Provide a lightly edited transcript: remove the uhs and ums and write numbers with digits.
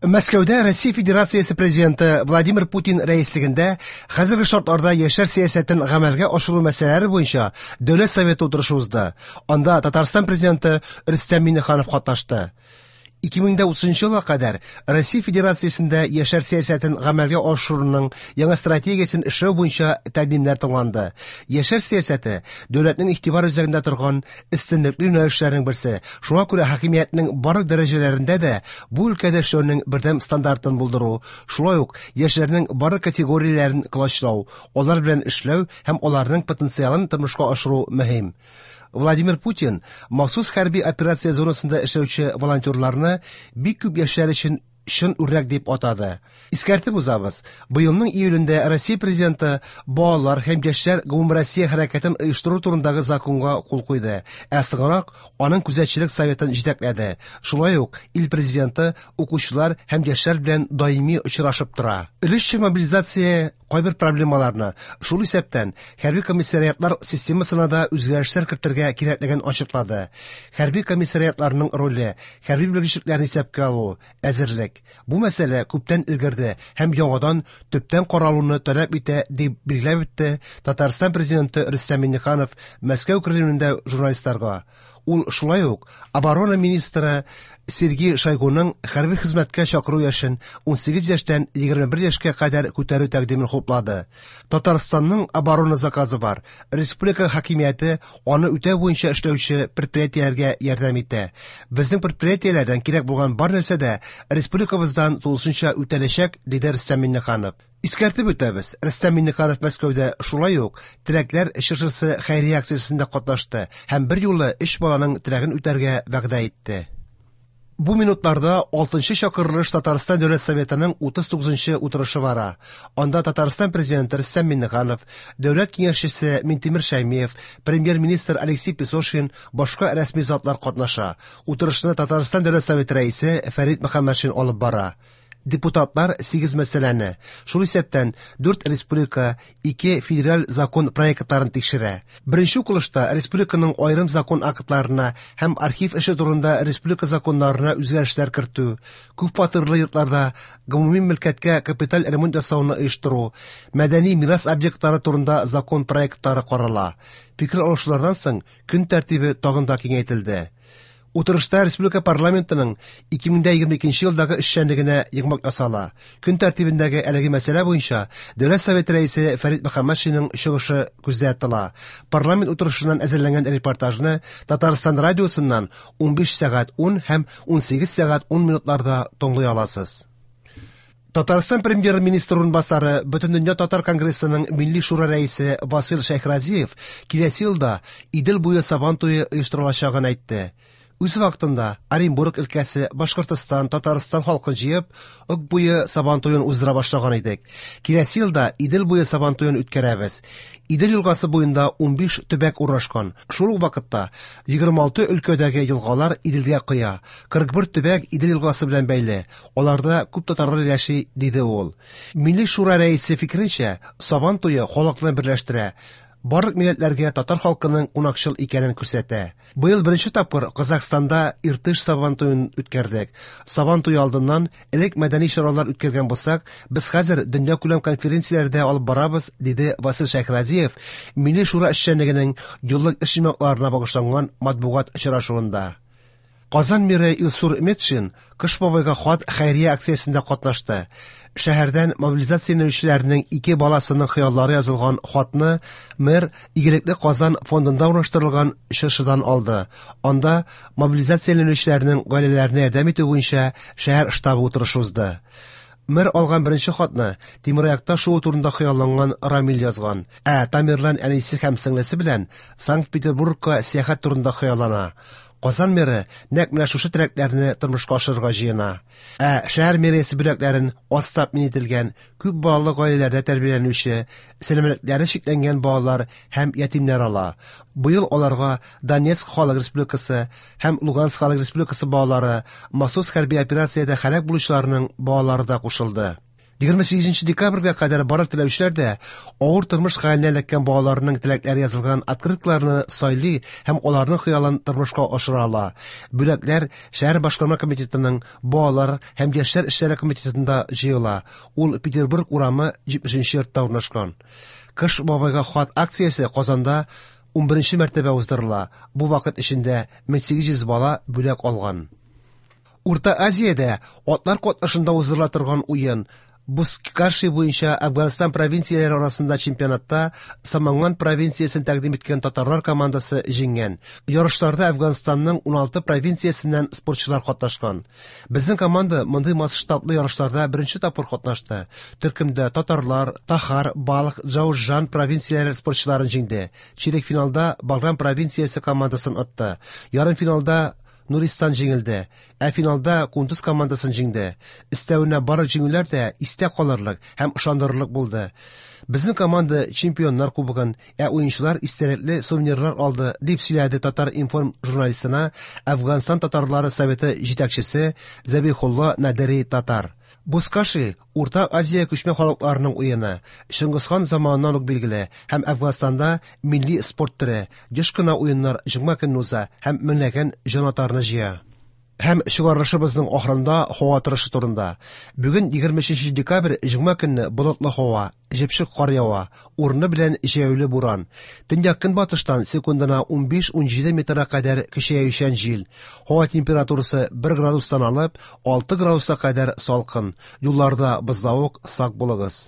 Мәскәүдә Россия Федерациясе Президенты Владимир Путин рәислегендә хәзерге шартларда яшьләр сәясәтен гамәлгә ашыру мәсьәләләре буенча Дәүләт Советы утырышы узды. Анда Татарстан Президенты Рөстәм Миңнеханов катнашты. 2030 елга кадәр Россия Федерациясендә яшьләр сәясәтен гамәлгә ашыруның яңа стратегиясен эшләү буенча тәкъдимнәр тыңланды. Яшьләр сәясәте дәүләтнең игътибар үзәгендә торган өстенлекле юнәлешләрнең берсе. Шуңа күрә хакимиятнең барлык дәрәҗәләрендә дә бу өлкәдә эшләүнең бердәм стандартын булдыру, шулай ук яшьләрнең барлык категорияләрен колачлау, алар белән эшләү һәм аларның потенциалын тормышка ашыру мөһим. Владимир Путин махсус хәрби операция зонасында эшләүче волонтерларны бик күп яшьләр өчен чын үрнәк дип атады. Искәртеп узабыз, быелның июлендә Россия Президенты балалар һәм яшьләр гомумроссия хәрәкәтен оештыру турындагы законга кул куйды, ә соңрак аның күзәтчелек советын җитәкләде. Шулай ук ил Президенты укучылар һәм яшьләр белән даими очрашып тора. Өлешчә мобилизация кайбер проблемаларны, шул исәптән хәрби комиссариатлар системасына да үзгәрешләр кертергә кирәклеген ачыклады. Хәрби комиссариатларның роле, хәрби белгечлекләрне исәпкә алу, әзерлек. Бу мәсьәлә күптән өлгерде һәм яңадан төптән каралуны таләп итә, дип билгеләп үтте Татарстан Президенты Рөстәм Миңнеханов Мәскәү Кремлендә журналистларга. Ул шулай ук оборона министры Сергей Шойгуның хәрби хезмәткә чакыру яшен 18 яшьтән 21 яшькә кадәр күтәрү тәкъдимен хуплады. Татарстанның оборона заказы бар. Республика хакимияте аны үтәү буенча эшләүче предприятиеләргә ярдәм итә. Безнең предприятиеләрдән кирәк булган бар нәрсә дә республикабыздан тулысынча үтәләчәк, диде Рөстәм Миңнеханов. Искәртеп үтәбез, Рөстәм Миңнеханов Мәскәүдә шулай ук Теләкләр чыршысы хәйрия акциясендә катнашты һәм берьюлы өч баланың теләген үтәргә вәгъдә итте. Бу минутларда 6 чакырылыш Татарстан Дәүләт Советының 39 утырышы бара. Анда Татарстан Президенты Рөстәм Миңнеханов, Дәүләт Киңәшчесе Минтимер Шәймиев, Премьер-министр Алексей Песошин, башка рәсми затлар катнаша. Утырышны Татарстан Дәүләт Советы рәисе Фәрит Мөхәммәтшин алып бара. Депутатлар 8 мәсьәләне, шул исәптән 4 республика, 2 федераль закон проектларын тикшерә. Беренче укылышта республиканың аерым закон актларына һәм архив эше турында республика законнарына үзгәрешләр кертү, күпфатирлы йортларда гомуми мөлкәткә капиталь ремонт ясауны оештыру, мәдәни мирас объектлары турында закон проектлары карала. Фикер алышулардан соң көн тәртибе тагын да киңәйтелде. Утырышта республика парламентының 2022 елдагы эшчәнлегенә йомгак ясала. Көн тәртибендәге әлеге мәсьәлә буенча Дәүләт Советы рәисе Фәрит Мөхәммәтшинның чыгышы күздә тотыла. Парламент утырышыннан әзерләнгән репортажны Татарстан радиосыннан 15 сәгать 10 һәм 18 сәгать 10 минутларда тыңлый аласыз. Татарстан премьер-министры урынбасары, Бөтендөнья татар конгрессының Милли шура рәисе Васил Шәйхразиев киләсе елда Идел буе Сабан туе оештырылачагын әйтте. Үз вакытында Оренбург өлкәсе, Башкортостан, Татарстан халкын җыеп, Ык буе Сабан туен уздыра башлаган идек. Киләсе елда Идел буе Сабан туен үткәрәбез. Идел елгасы буенда 15 төбәк урнашкан. Шул ук вакытта 26 өлкәдәге елгалар Иделгә коя. 41 төбәк Идел елгасы белән бәйле. Аларда күп татарлар яши, диде ул. Милли шура рәисе фикеренчә, Сабан туе халыкны берләштерә. Барлык милләтләргә татар халкының кунакчыл икәнен күрсәтә. Быел беренче тапкыр Казахстанда Иртыш Сабан туен үткәрдек. Сабан туе алдыннан элек мәдәни чаралар үткәргән булсак, без хәзер дөньякүләм конференцияләрдә алып барабыз, диде Васил Шәйхразиев Милли шура эшчәнлегенең еллык эш йомгакларына багышланган матбугат очрашуында. Казан мэры Илсур Метшин Кыш бабайга хат хәйрия акциясендә катнашты. Шәһәрдән мобилизацияләнүчеләрнең ике баласының хыяллары язылган хатны мэр Игелекле Казан фондында урнаштырылган чыршыдан алды. Анда мобилизацияләнүчеләрнең гаиләләренә ярдәм итү буенча шәһәр штабы утырышы узды. Мэр алган беренче хатны тимераякта шуу турында хыялланган Рамил язган. Ә Тамерлан әнисе һәм сеңлесе белән Санкт-Петербургка сәяхәт турында хыяллана. Казан мэры нәкъ менә шушы теләкләрне тормышка ашырырга җыена. Ә шәһәр мэриясе бүләкләрен аз тәэмин ителгән, күп балалы гаиләләрдә тәрбияләнүче, сәламәтлекләре чикләнгән балалар һәм ятимнәр ала. Быел аларга Донецк халык республикасы һәм Луганск халык республикасы балалары, махсус хәрби операциядә һәлак булучыларның балалары да кушылды. 28 декабрьгә кадәр барлык теләүчеләр дә авыр тормыш хәленә эләккән балаларның теләкләре язылган открыткаларны сайлый һәм аларның хыялын тормышка ашыра ала. Бүләкләр шәһәр башкарма комитетының балалар һәм яшьләр эшләре комитетында җыела. Ул Петербург урамы 70 йортта урнашкан. Кыш бабайга хат акциясе Казанда 11 мәртәбә уздырыла. Бу вакыт эчендә 1800 бала бүләк алган. Урта Азиядә атлар катнашында уздырыла торган уен Бузкаши буенча Әфганстан провинцияләре арасында чемпионатта Саманган провинциясен тәкъдим иткән татарлар командасы җиңгән. Ярышларда Әфганстанның 16 провинциясеннән спортчылар катнашкан. Безнең команда мондый масштаблы ярышларда беренче тапкыр катнашты. Төркемдә татарлар, Тахар, Балх, Джаужан провинцияләре спортчыларын җиңде. Чирек финалда Баграм провинциясе командасын отты. Ярымфиналда Нуристан җиңелде, ә финалда Кундуз командасын җиңде. Өстәвенә барлык җиңүләр дә истә калырлык һәм ышандырырлык булды. Безнең команда чемпионнар кубогын, ә уенчылар истәлекле сувенирлар алды, дип сөйләде Татар-информ журналистына Әфганстан татарлары советы җитәкчесе Зәбихулла Надери Татар. Бузкаши Урта Азия күчмә халыкларының уены, Чыңгызхан заманыннан ук билгеле һәм Әфганстанда милли спорт төре. Еш кына уеннар җомга көнне уза һәм меңләгән җанатарны җыя. Һәм чыгарылышыбызның ахырында һава торышы турында. Бүген 23 декабрь җомга көнне болытлы һава, җепшек кар ява, урыны белән җәяүле буран. Төньяк-көнбатыштан секундына 15-17 метрга кадәр көчәючән җил. Һава температурасы 1 градустан алып 6 градуска кадәр салкын. Юлларда бозлавык, сак булыгыз.